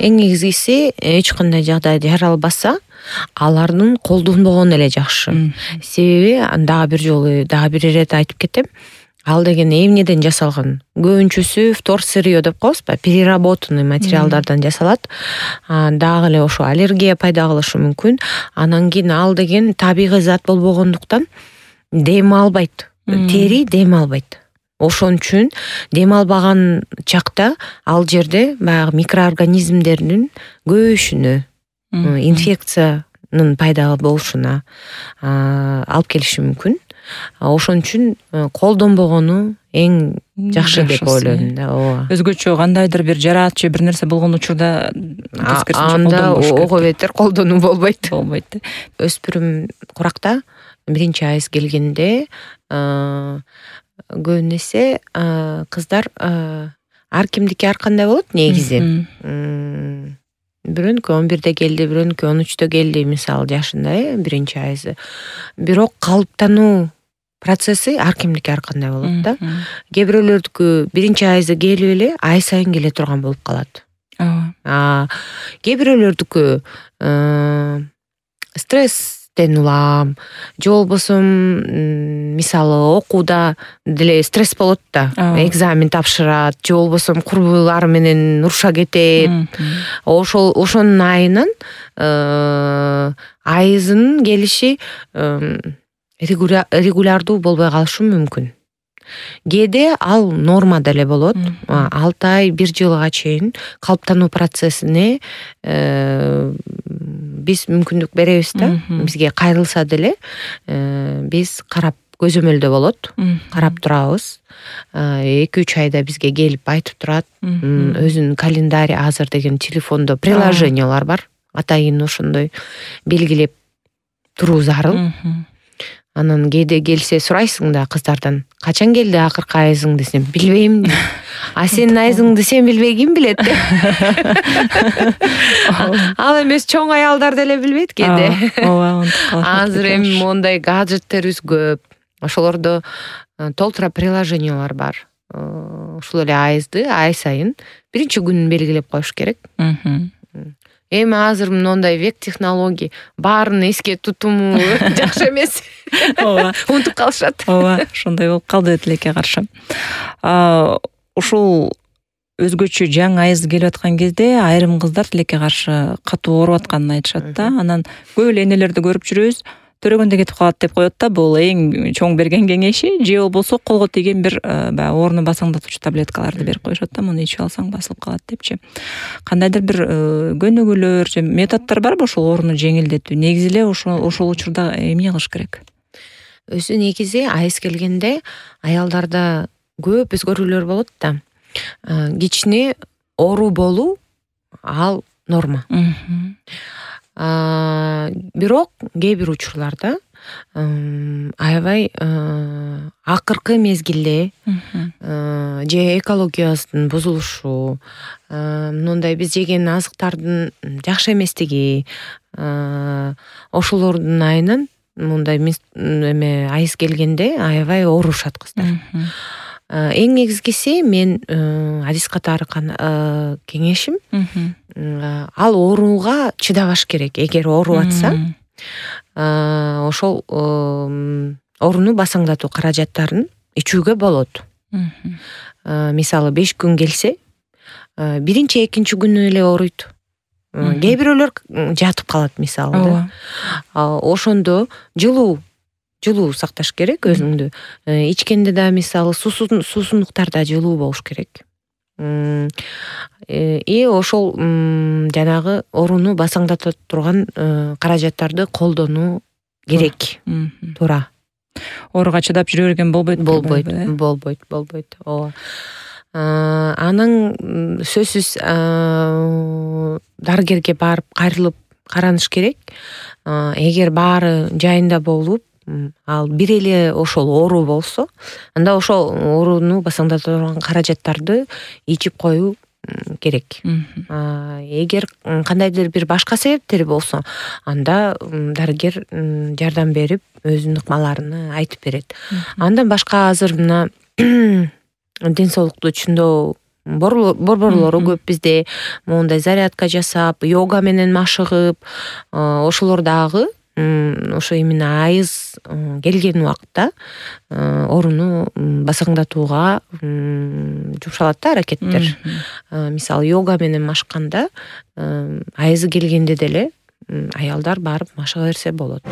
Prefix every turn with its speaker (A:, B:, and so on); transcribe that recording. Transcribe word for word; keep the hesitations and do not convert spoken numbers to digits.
A: эң негизгиси эч кандай жагдайда жаралбаса алардын колдонбогону эле жакшы. Себеби дагы бир жолу дагы бир ирет айтып кетем. Ал деген эмнеден жасалган? Көбүнчөсү вторсырье деп коебузбу, переработанный материалдардан жасалат. Дагы эле ошо аллергия пайда кылышы мүмкүн. Анан кийин ал деген табигый зат болбогондуктан дем албайт. Тери дем албайт. Ошон үчүн дем албаган чакта ал жерде баягы микроорганизмдердин көбөйүшүнө, инфекциянын пайда болушуна алып келиши мүмкүн. Ошон үчүн колдонбогону эң жакшы деп ойлойм да. Ооба.
B: Өзгөчө кандайдыр бир жараат же бир нерсе болгон учурда
A: анда ого бетер колдонуу болбойт.
B: Болбойт.
A: Өспүрүм куракта биринчи айыз келгенде көбүнесе кыздар ар кимдики ар кандай болот негизи. Бирөөнүкү он бирде келди, бирөөнүкү он үчтө келди, мисалы жашында, э, биринчи айызы. Бирок калыптануу процесси ар кимдики ар кандай болот да. Кээ бирөөлөрдүкү биринчи айызы келип эле ай сайын келе турган болуп калат. Ооба. Кээ бирөөлөрдүкү стресстен улам, же болбосо мисалы окууда деле стресс болот да. Экзамен тапшырат, же болбосо курбулары менен уруша кетет. Ошол ошонун айынан айызынын келиши регулярдуу болбой калышы мүмкүн. Кээде ал норма деле болот. алты ай, бир жылга чейин калыптануу процессине биз мүмкүндүк беребиз да. Бизге кайрылса деле биз карап көзөмөлдө болот, карап турабыз. эки үч айда бизге келип айтып турат. Өзүнүн календарь азыр деген телефондо приложениялар бар. Атайын ошондой белгилеп туруу зарыл. Анан кээде келсе сурайсың да кыздардан, качан келди акыркы айызың десем, билбейм. А сенин айызыңды сен билбей ким билет? Ал эмес чоң аялдар деле билбейт кээде. Азыр эми мондай гаджеттерибиз көп. Ошолордо толтура приложениялар бар. Ушул эле айызды ай сайын биринчи күнүн белгилеп коюш керек. Эми азыр моундай век технологий, баарын эске тутуму жакшы эмес.
B: Ооба,
A: унутуп калышат.
B: Ооба, ошондой болуп калды тилекке каршы. Ушул өзгөчө жаңы айыз келип аткан кезде айрым кыздар тилекке каршы катуу ооруп атканын айтышат да. Анан көп эле энелерди көрүп жүрөбүз. Төрөгөндө кетип калат деп коет да. Бул эң чоң берген кеңеши, же болбосо колго тийген бир баягы ооруну басаңдатуучу таблеткаларды берип коюшат да. Муну ичип алсаң басылып калат депчи. Кандайдыр бир көнүгүүлөр же методдор барбы ошол ооруну жеңилдетүү? Негизи эле ошол ошол учурда эмне кылыш керек?
A: Өзү негизи айыз келгенде аялдарда көп өзгөрүүлөр болот да. Кичине оору болуу ал норма. Бирок кээ бир учурларда аябай акыркы мезгилде же экологиябыздын бузулушу, мындай биз жеген азыктардын жакшы эместиги, ошолордун айынан мындай эме айыз келгенде аябай оорушат кыздар. Эң негизгиси мен адис катары кеңешим, ал ооруга чыдабаш керек. Эгер ооруп атса, ошол ооруну басаңдатуу каражаттарын ичүүгө болот. Мисалы беш күн келсе, биринчи, экинчи күнү эле ооруйт. Кээ бирөөлөр жатып калат мисалы. Ошондо жылуу жылуу сакташ керек өзүңдү. Ичкенде да мисалы суусундуктарда жылуу болуш керек. И ошол жанагы ооруну басаңдата турган каражаттарды колдонуу керек. Туура.
B: Ооруга чыдап жүрө берген болбойт.
A: Болбойт, болбойт, болбойт. Ооба. Анан сөзсүз дарыгерге барып кайрылып караныш керек. Эгер баары жайында болуп, ал бир эле ошол оору болсо, анда ошол ооруну басаңдата турган каражаттарды ичип коюу керек. Эгер кандайдыр бир башка себептери болсо, анда дарыгер жардам берип, өзүнүн ыкмаларын айтып берет. Андан башка азыр мына ден соолукту түшүндөө борборлору көп бизде, моундай зарядка жасап, йога менен машыгып, ошолор дагы ошо именно айыз келген убакта орунну басаңдатууга жумшалат да аракеттер. Мисалы йога менен машыкканда айызы келгенде деле аялдар барып машыга берсе болот.